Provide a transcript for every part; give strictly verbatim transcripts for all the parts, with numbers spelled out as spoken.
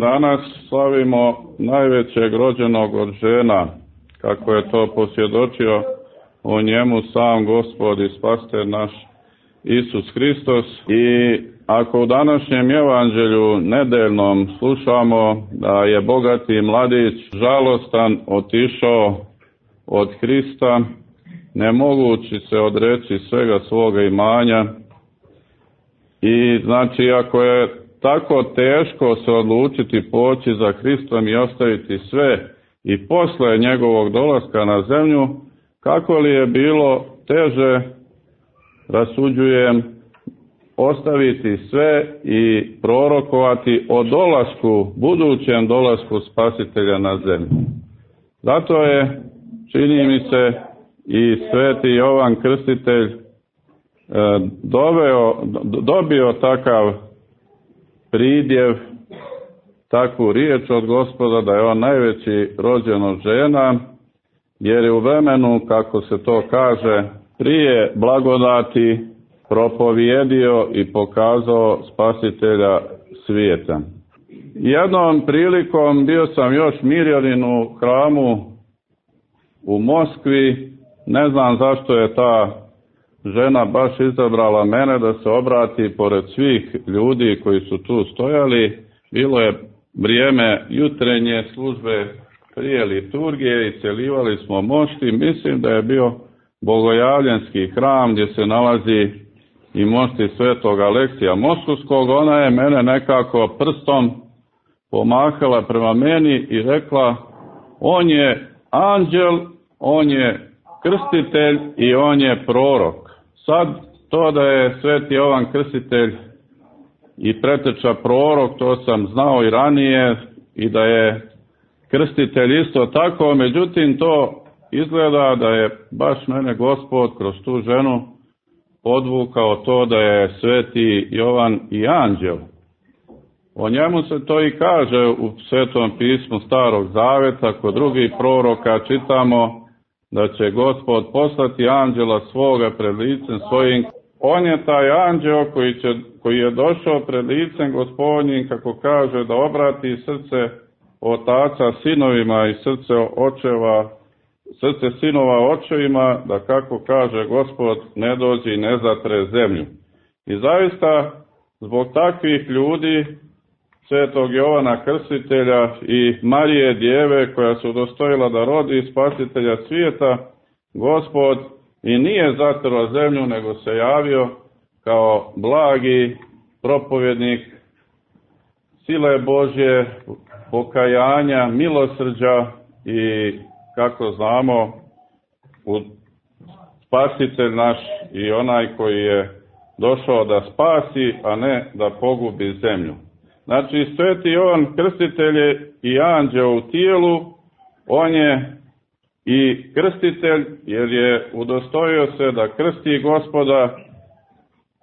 Danas slavimo najvećeg rođenog od žena, kako je to posvjedočio o njemu sam Gospod i Spasitelj naš Isus Hristos. I ako u današnjem evanđelju nedeljnom slušamo da je bogati mladić žalostan otišao od Hrista, ne mogući se odreći svega svoga imanja, i znači ako je tako teško se odlučiti poći za Hristom i ostaviti sve i posle njegovog dolaska na zemlju, kako li je bilo teže, rasuđujem, ostaviti sve i prorokovati o dolasku, budućem dolasku Spasitelja na zemlju. Zato je, čini mi se, i sveti Jovan Krstitelj doveo, dobio takav pridjev, takvu riječ od Gospoda da je on najveći rođen od žena, jer je u vremenu, kako se to kaže, prije blagodati propovjedio i pokazao Spasitelja svijeta. Jednom prilikom bio sam još mirjanin u hramu u Moskvi. Ne znam zašto je ta žena baš izabrala mene da se obrati pored svih ljudi koji su tu stojali. Bilo je vrijeme jutrenje službe prije liturgije i celivali smo mošti. Mislim da je bio Bogojavljenski hram gdje se nalazi i mošti svetog Aleksija Moskovskog. Ona je mene nekako prstom pomahala prema meni i rekla: on je anđel, on je krstitelj i on je prorok. Sad to da je sveti Jovan Krstitelj i preteča prorok, to sam znao i ranije, i da je krstitelj isto tako, međutim to izgleda da je baš mene Gospod kroz tu ženu podvukao to da je sveti Jovan i anđel. O njemu se to i kaže u Svetom pismu Starog Zaveta. Kod drugih proroka čitamo da će Gospod poslati anđela svoga pred licem svojim. On je taj anđeo koji, će, koji je došao pred licem Gospodnjim, kako kaže, da obrati srce otaca sinovima i srce očeva, srce sinova očevima, da, kako kaže Gospod, ne dođe i ne zatre zemlju. I zaista zbog takvih ljudi, svetog Jovana Krstitelja i Marije Djeve, koja su udostojila da rodi Spasitelja svijeta, Gospod i nije zatrao zemlju, nego se javio kao blagi propovjednik sile Božje, pokajanja, milosrđa i, kako znamo, Spasitelj naš i onaj koji je došao da spasi, a ne da pogubi zemlju. Znači, sveti Jovan Krstitelj je i anđeo u tijelu, on je i krstitelj, jer je udostojio se da krsti Gospoda.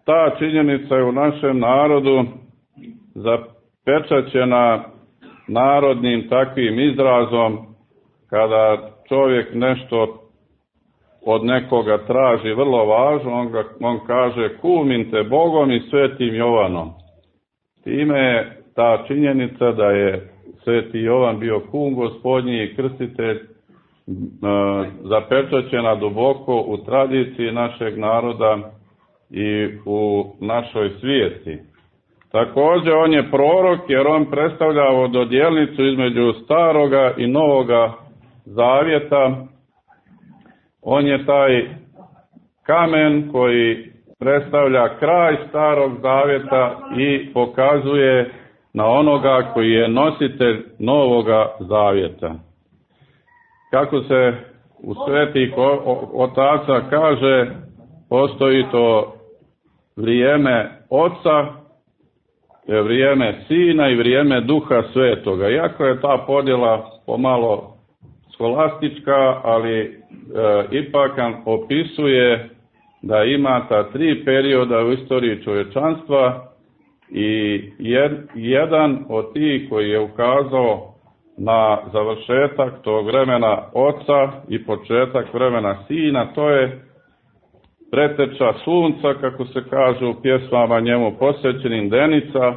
Ta činjenica je u našem narodu zapečaćena narodnim takvim izrazom, kada čovjek nešto od nekoga traži vrlo važno, on, ga, on kaže: kumim te Bogom i svetim Jovanom. Time je ta činjenica da je sveti Jovan bio kum Gospodnji i krstitelj e, zapečaćena duboko u tradiciji našeg naroda i u našoj svijesti. Također on je prorok, jer on predstavlja vododjelnicu između staroga i novoga zavjeta. On je taj kamen koji predstavlja kraj starog zavjeta i pokazuje na onoga koji je nositelj novoga zavjeta. Kako se u svetih otaca kaže, postoji to vrijeme Oca, vrijeme Sina i vrijeme Duha Svetoga. Iako je ta podjela pomalo skolastička, ali e, ipak opisuje da ima ta tri perioda u istoriji čovječanstva, i jed, jedan od tih koji je ukazao na završetak tog vremena Oca i početak vremena Sina, to je preteča sunca, kako se kaže u pjesmama njemu posvećenim, denica,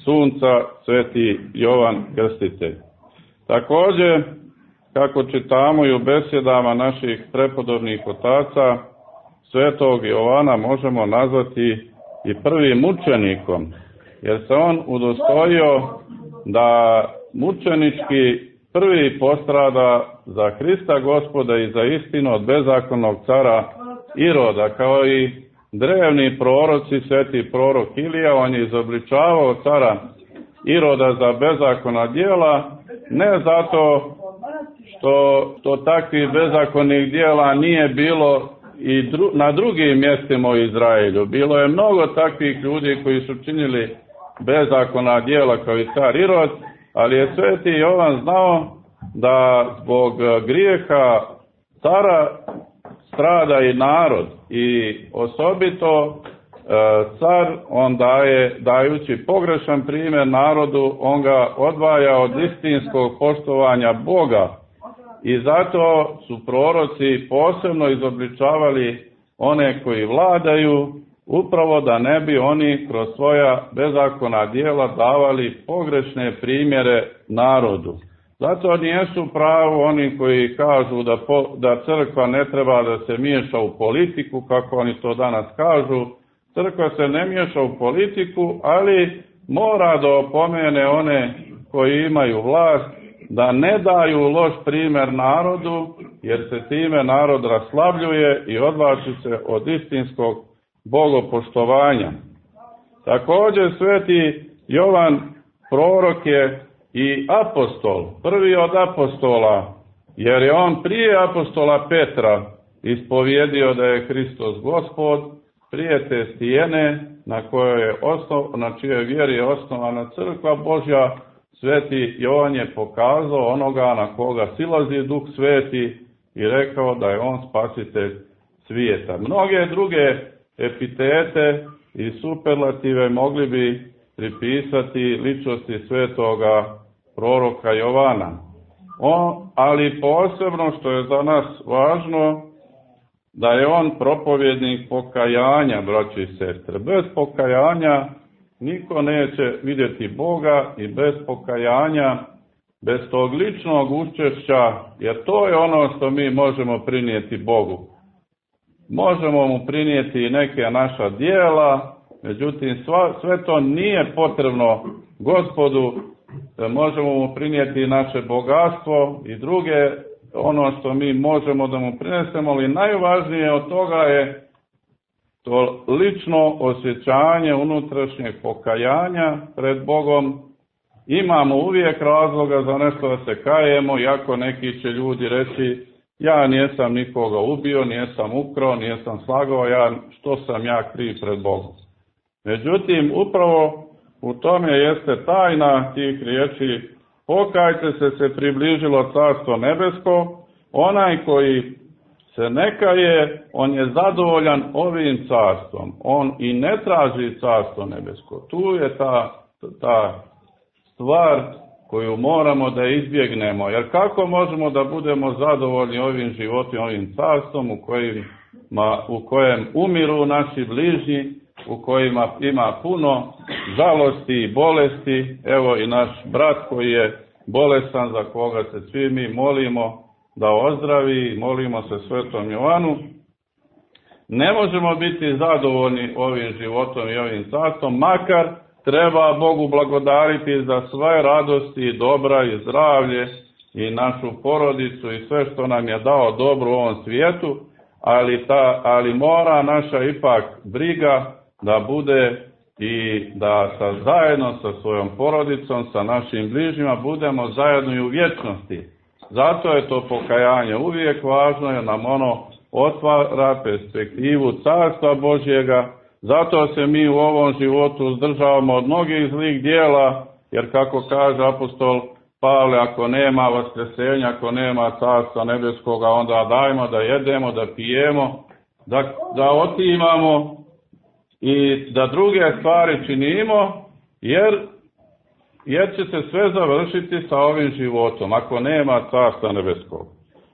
sunca, sveti Jovan Krstitelj. Također, kako čitamo i u besjedama naših prepodobnih otaca, svetog Jovana možemo nazvati i prvim mučenikom, jer se on udostojio da mučenički prvi postrada za Hrista Gospoda i za istinu od bezakonnog cara Iroda, kao i drevni proroci, sveti prorok Ilija. On je izobličavao cara Iroda za bezakona djela, ne zato što, što takvih bezakonnih djela nije bilo i dru, na drugim mjestima u Izraelju. Bilo je mnogo takvih ljudi koji su činili bezakona djela kao i car Irod, ali je sveti Jovan znao da zbog grijeha cara strada i narod, i osobito car, on daje, dajući pogrešan primjer narodu, on ga odvaja od istinskog poštovanja Boga, i zato su proroci posebno izobličavali one koji vladaju, upravo da ne bi oni kroz svoja bezakona djela davali pogrešne primjere narodu. Zato nijesu pravo oni koji kažu da, po, da crkva ne treba da se miješa u politiku, kako oni to danas kažu. Crkva se ne miješa u politiku, ali mora da opomene one koji imaju vlast da ne daju loš primjer narodu, jer se time narod raslabljuje i odvlači se od istinskog bogopoštovanja. Također sveti Jovan prorok je i apostol, prvi od apostola, jer je on prije apostola Petra ispovjedio da je Hristos Gospod, prije te stijene na kojoj je osnov, na čijoj vjeri je osnovana crkva Božja. Sveti Jovan je pokazao onoga na koga silazi Duh Sveti i rekao da je on spasitelj svijeta. Mnoge druge epitete i superlative mogli bi pripisati ličnosti svetoga proroka Jovana. On, ali posebno što je za nas važno, da je on propovjednik pokajanja, braći i sestre. Bez pokajanja niko neće vidjeti Boga, i bez pokajanja, bez tog ličnog učešća, jer to je ono što mi možemo prinijeti Bogu. Možemo mu prinijeti i neke naša djela, međutim sva, sve to nije potrebno Gospodu. Možemo mu prinijeti naše bogatstvo i druge, ono što mi možemo da mu prinesemo, ali najvažnije od toga je to lično osjećanje unutrašnjeg pokajanja pred Bogom. Imamo uvijek razloga za nešto da se kajemo, iako neki će ljudi reći: ja nijesam nikoga ubio, nijesam ukrao, nijesam slagao, ja, što sam ja kriv pred Bogom. Međutim, upravo u tome jeste tajna tih riječi: pokajte se, se približilo carstvo nebesko. Onaj koji se ne kaje, on je zadovoljan ovim carstvom. On i ne traži carstvo nebesko. Tu je ta, ta stvar koju moramo da izbjegnemo. Jer kako možemo da budemo zadovoljni ovim životom, ovim carstvom u, kojima, u kojem umiru naši bližnji, u kojima ima puno žalosti i bolesti. Evo i naš brat koji je bolestan, za koga se svi mi molimo da ozdravi, molimo se svetom Jovanu. Ne možemo biti zadovoljni ovim životom i ovim carstvom, makar treba Bogu blagodariti za sve radosti i dobra i zdravlje i našu porodicu i sve što nam je dao dobro u ovom svijetu, ali, ta, ali mora naša ipak briga da bude i da sa, zajedno sa svojom porodicom, sa našim bližnjima budemo zajedno i u vječnosti. Zato je to pokajanje uvijek važno, jer nam ono otvara perspektivu Carstva Božjega. Zato se mi u ovom životu uzdržavamo od mnogih zlih dijela, jer kako kaže apostol Pavle, ako nema vaskrsenja, ako nema Carstva nebeskoga, onda dajmo da jedemo, da pijemo, da, da otimamo i da druge stvari činimo, jer, jer će se sve završiti sa ovim životom, ako nema Carstva nebeskog.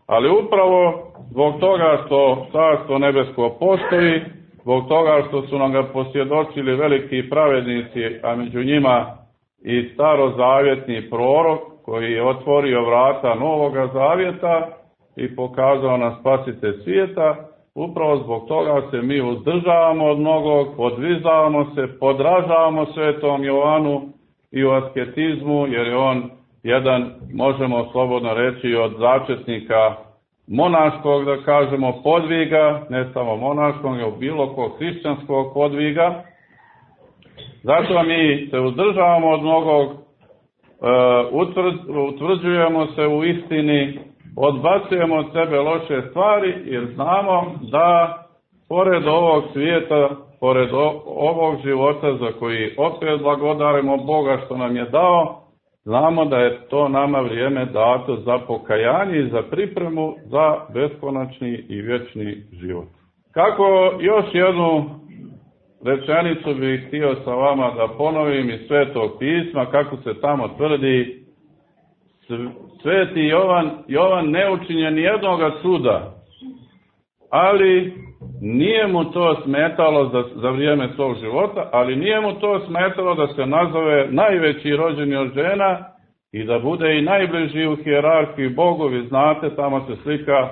Ali upravo zbog toga što Carstvo nebesko postoji, zbog toga što su nam ga posvjedočili veliki pravednici, a među njima i starozavjetni prorok koji je otvorio vrata Novoga zavjeta i pokazao nam spasitelj svijeta. Upravo zbog toga se mi uzdržavamo od mnogog, podvizavamo se, podražavamo svetom Jovanu i u asketizmu, jer je on jedan, možemo slobodno reći, od začetnika monaškog, da kažemo, podviga, ne samo monaškog, nego bilo kog hrišćanskog podviga. Zato mi se uzdržavamo od mnogog, utvrđujemo se u istini, odbacujemo od sebe loše stvari, jer znamo da pored ovog svijeta, pored ovog života za koji opet blagodarimo Boga što nam je dao, znamo da je to nama vrijeme dato za pokajanje i za pripremu za beskonačni i vječni život. Kako još jednu rečenicu bih htio sa vama da ponovim iz Svetog pisma, kako se tamo tvrdi, Sveti Jovan, Jovan ne učinje ni jednoga čuda, ali nije mu to smetalo za, za vrijeme svog života, ali nije mu to smetalo da se nazove najveći rođeni od žena i da bude i najbliži u hijerarhiji Bogu. Vi znate, tamo se slika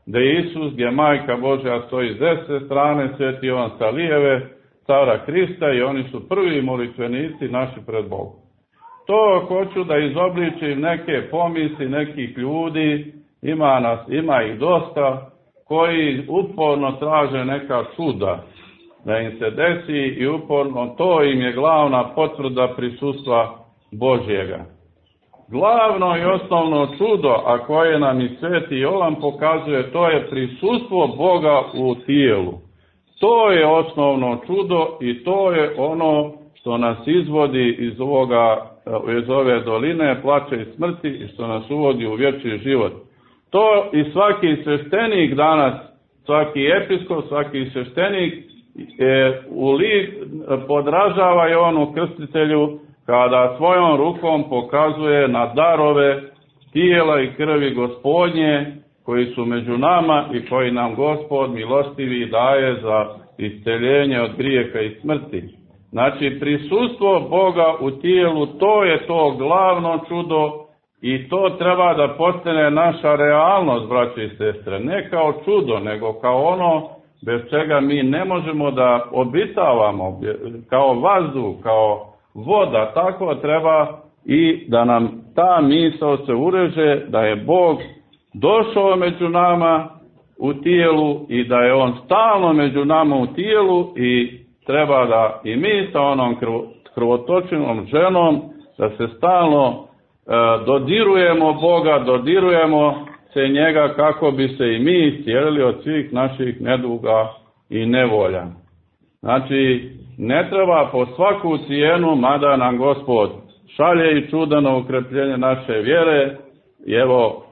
da je Isus, gdje Majka Božja stoji s desne strane, Sveti Jovan sa lijeve, cara Krista, i oni su prvi molitvenici naši pred Bogom. To hoću da izobličim neke pomisli nekih ljudi, ima nas, ima ih dosta, koji uporno traže neka čuda da im se desi i uporno to im je glavna potvrda prisustva Božjega. Glavno i osnovno čudo, a koje nam i Sveti Jovan pokazuje, to je prisustvo Boga u tijelu. To je osnovno čudo i to je ono što nas izvodi iz ovoga, iz ove doline plača i smrti i što nas uvodi u vječni život. To i svaki sveštenik danas, svaki episkop, svaki sveštenik e, u lik podražava i onu krstitelju kada svojom rukom pokazuje na darove tijela i krvi Gospodnje koji su među nama i koji nam Gospod milostivi daje za isceljenje od grijeha i smrti. Znači, prisustvo Boga u tijelu, to je to glavno čudo i to treba da postane naša realnost, braće i sestre. Ne kao čudo, nego kao ono bez čega mi ne možemo da obitavamo, kao vazduh, kao voda. Tako treba i da nam ta misao se ureže, da je Bog došao među nama u tijelu i da je on stalno među nama u tijelu i treba da i mi sa onom krvotočinom ženom da se stalno e, dodirujemo Boga, dodirujemo se njega kako bi se i mi iscijelili od svih naših neduga i nevolja. Znači, ne treba po svaku cijenu, mada nam Gospod šalje i čudano ukrepljenje naše vjere, i evo,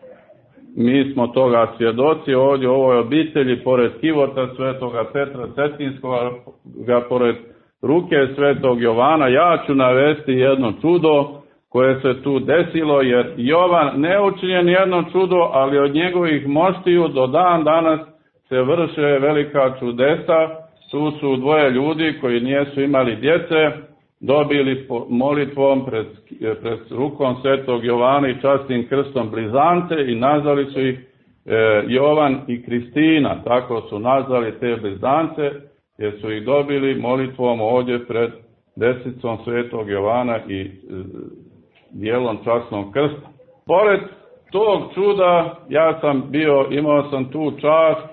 mi smo toga svjedoci ovdje u ovoj obitelji, pored kivota Svetoga Petra Cetinskoga, pored ruke Svetog Jovana. Ja ću navesti jedno čudo koje se tu desilo, jer Jovan ne učinje nijedno čudo, ali od njegovih moštiju do dan danas se vrše velika čudesa. Tu su dvoje ljudi koji nijesu imali djece, dobili molitvom pred, pred rukom Svetog Jovana i častim krstom blizance i nazvali su ih e, Jovan i Kristina. Tako su nazvali te blizance, jer su ih dobili molitvom ovdje pred desnicom Svetog Jovana i e, dijelom časnog krsta. Pored tog čuda, ja sam bio, imao sam tu čast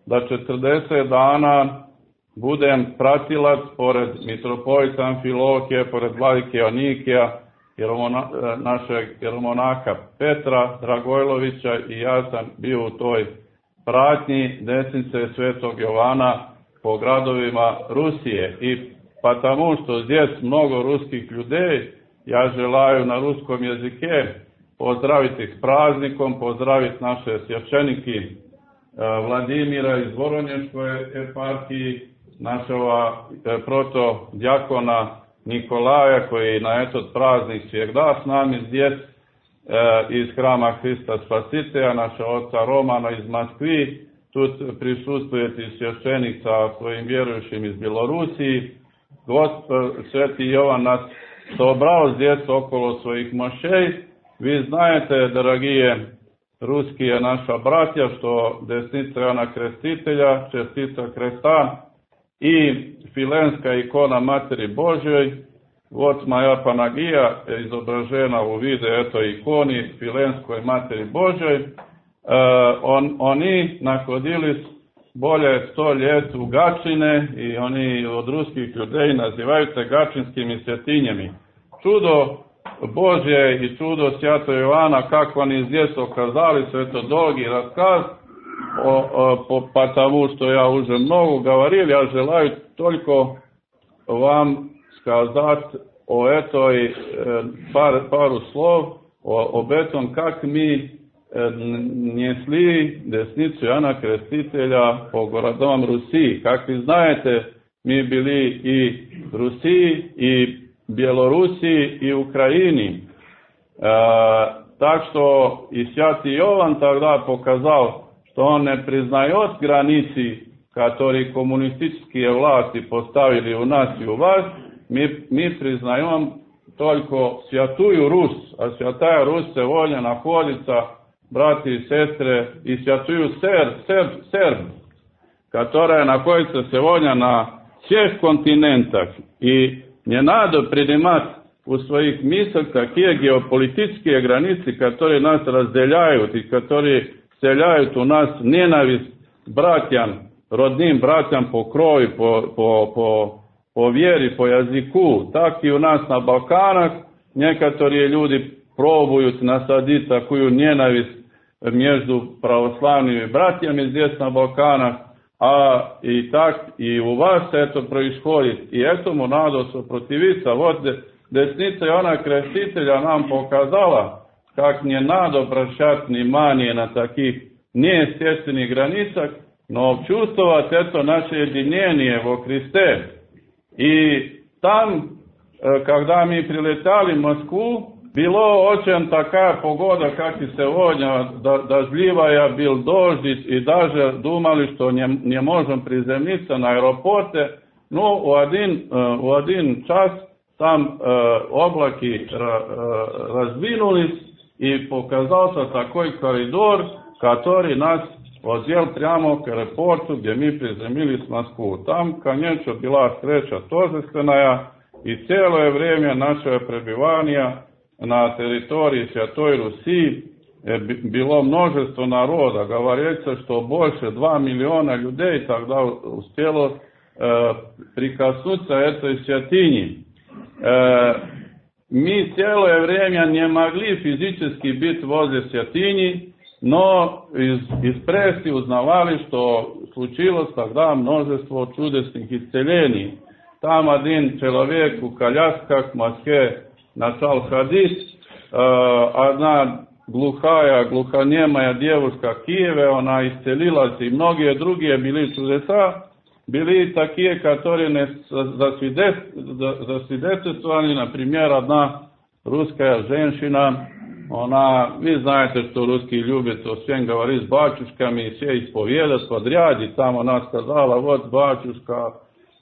da četrdeset dana budem pratilac pored mitropolita Amfilohije, pored vladike Onikija, jeromona, našeg jeromonaka Petra Dragojlovića, i ja sam bio u toj pratnji desnice Svetog Jovana po gradovima Rusije. I pa tamo što zdjes mnogo ruskih ljudi, ja želaju na ruskom jezike pozdraviti s praznikom, pozdraviti naše svjašćeniki Vladimira iz Voronješkoj eparhiji, našega proto djakona Nikolaja, koji na etot praznik svijegda s nami zdjes e, iz hrama Hrista Spasitelja, naša oca Romana iz Moskvi. Tu prisustuje i svjašćenik sa svojim vjerujućim iz Bjelorusiji. Gospod, Sveti Jovan nas собрал здесь около своих мощей. Вы знаете, дорогие русские наши братья, что десница Иоанна Крестителя, частица креста и Филенская икона Матери Божьей. Вот моя Панагия изображена в виде этой иконы Филенской Матери Божьей. Он, они находились более сто лет у Gačine i oni od ruskih людей nazivaju se gačinskimi svetinjami. Čudo Božje i čudo Svjato Ivana, kako oni здесь оказали, sve to долгий рассказ, о, о, потому что я уже много говорил, я желаю только вам сказать о этой пар, пару слов, о, об этом, как мы несли desnicu Iana Krestitelja po городам Руси. Как вы знаете, мы были и в Руси, и в Белоруссии, и в Украине. Так что и Святый Иоанн тогда показал, что он не признает границы, которые коммунистические власти поставили у нас и у вас. Мы, мы признаем только Святую Русь, а Святая Русь сегодня находится, братья и сестры, и Святую Серб, Серб, Серб, которая находится сегодня на всех континентах. И не надо принимать у своих мыслях такие геополитические границы, которые нас разделяют и которые вселяют у нас ненависть братьям, родным братьям по крови, по, по, по, по вере, по языку. Так и у нас на Балканах некоторые люди пробуют насадить такую ненависть между православными братьями здесь на Балканах, а и так и у вас это происходит, и этому надо сопротивиться. Вот десница Иоанна Крестителя нам показала, как не надо обращать внимание на таких неестественных границах, но чувствовать это наше единение во Христе. И там, когда мы прилетали в Москву, было очень такая погода, как и сегодня, дождливая, был дождь, и даже думали, что не, не можем приземлиться на аэропорте. Но в один, в один час там э, облаки э, раздвинулись, и показался такой коридор, который нас возил прямо к аэропорту, где мы приземлились в Москву. Там, конечно, была встреча торжественная, и целое время нашего пребывания на территории Святой Руси было множество народа. Говорится, что больше два миллиона людей тогда успело э, прикоснуться к этой святыне. Э, мы целое время не могли физически быть возле святыни, но из, из прессы узнавали, что случилось тогда множество чудесных исцелений. Там один человек в колясках в Москве начал ходить, одна глухая, глухонемая девушка в Киеве, она исцелилась, и многие другие были чудеса, были такие, которые не засвидетельствовали. Например, одна русская женщина, она, вы знаете, что русские любят о всем говорить с батюшками, все исповедать подряд, и там она сказала: вот, батюшка,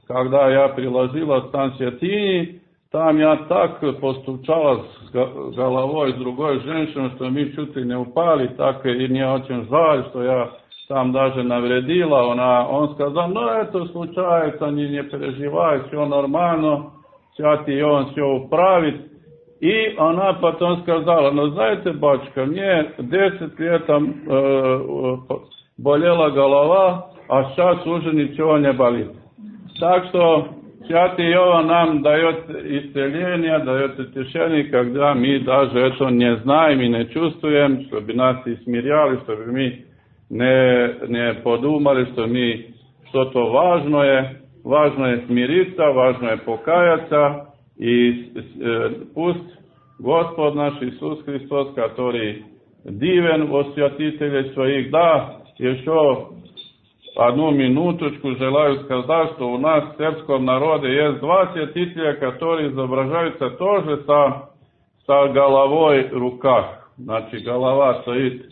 когда я приложила стан святыни, там я так постучала с головой с другой женщиной, что мы чуть ли не упали, так и мне очень жаль, что я там даже навредила. Она, он сказал: ну это случается, не, не переживай, все нормально, Святый Иоанн все управит. И она потом сказала: ну знаете, батюшка, мне десять лет там э, болела голова, а сейчас уже ничего не болит. Так что Святый Иоанн нам дает исцеление, дает утешение, когда мы даже это не знаем и не чувствуем, чтобы нас и смиряли, чтобы мы не, не подумали, что мы что-то важное, важное смириться, важное покаяться. И э, пусть Господь наш Иисус Христос, который дивен во святителей своих, да, еще одну минуточку желаю сказать, что у нас в сербском народе есть два святителя, которые изображаются тоже со, со головой в руках. Значит, голова стоит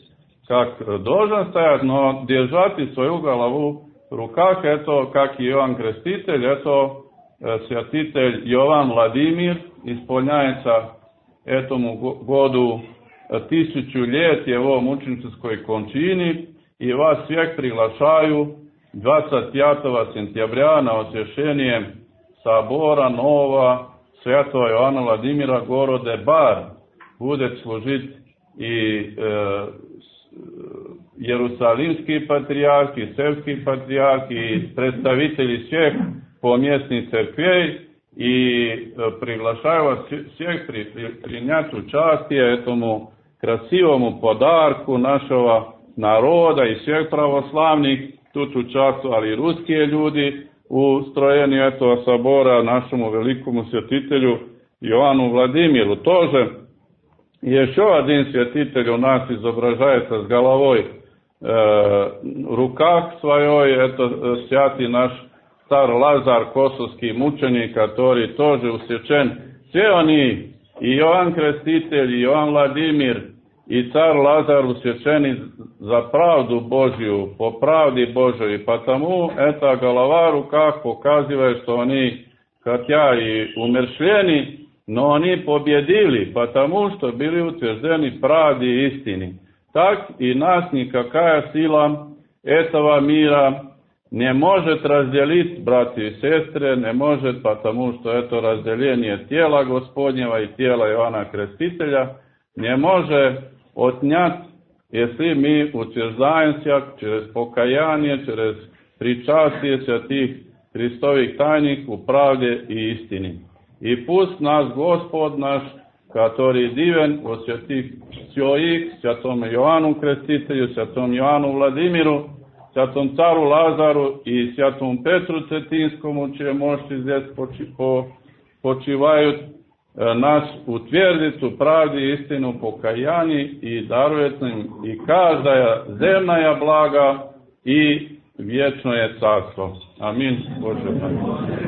как должен стоять, но держать и свою голову в руках, это как Иоанн Креститель, это svjatitelj Jovan Vladimir iz Poljanica, etomu godu tisućuljeće u ovom mučeničkoj končini i vas svijek priglašaju dvadeset petog sentября na osvješenje sabora Nova Svjetova Jovana Vladimira Gorode Bar. Bude služiti i e, Jerusalimski patrijarh i Srpski patrijarh i predstavitelji svih pomjesnih crkvej i e, priglašaju vas svih pri, pri, prinjatu častije etomu krasivomu podarku našova naroda i svih pravoslavnih, tu tu častu, ali i ruskije ljudi u strojenju etova sabora našemu velikomu svjetitelju Jovanu Vladimiru. Тоже еще один святитель у нас изображается с головой э, в руках своей. Это святый наш цар Лазар, косовский мученик, который тоже усечен. Все они, и Иоанн Креститель, и Иоанн Владимир, и цар Лазар усечени за правду Божью, по правде Божией. Потому эта голова в руках показывает, что они, хотя и умершвлени, но они победили, потому что были утверждены в правде и истине. Так и нас никакая сила этого мира не может разделить, братья и сестры, не может, потому что это разделение тела Господнего и тела Иоанна Крестителя не может отнять, если мы утверждаемся через покаяние, через причастие святых Христовых тайных в правде и истине. И пусть нас Господь наш, который дивен во святых своих, святому Иоанну Крестителю, святому Иоанну Владимиру, святому цару Лазару и святому Петру Цетинскому, чьи мощи здесь почивают, нас утвердит в правде и истину покаянии и дарует нам и каждая земная блага и вечное царство. Аминь. Боже.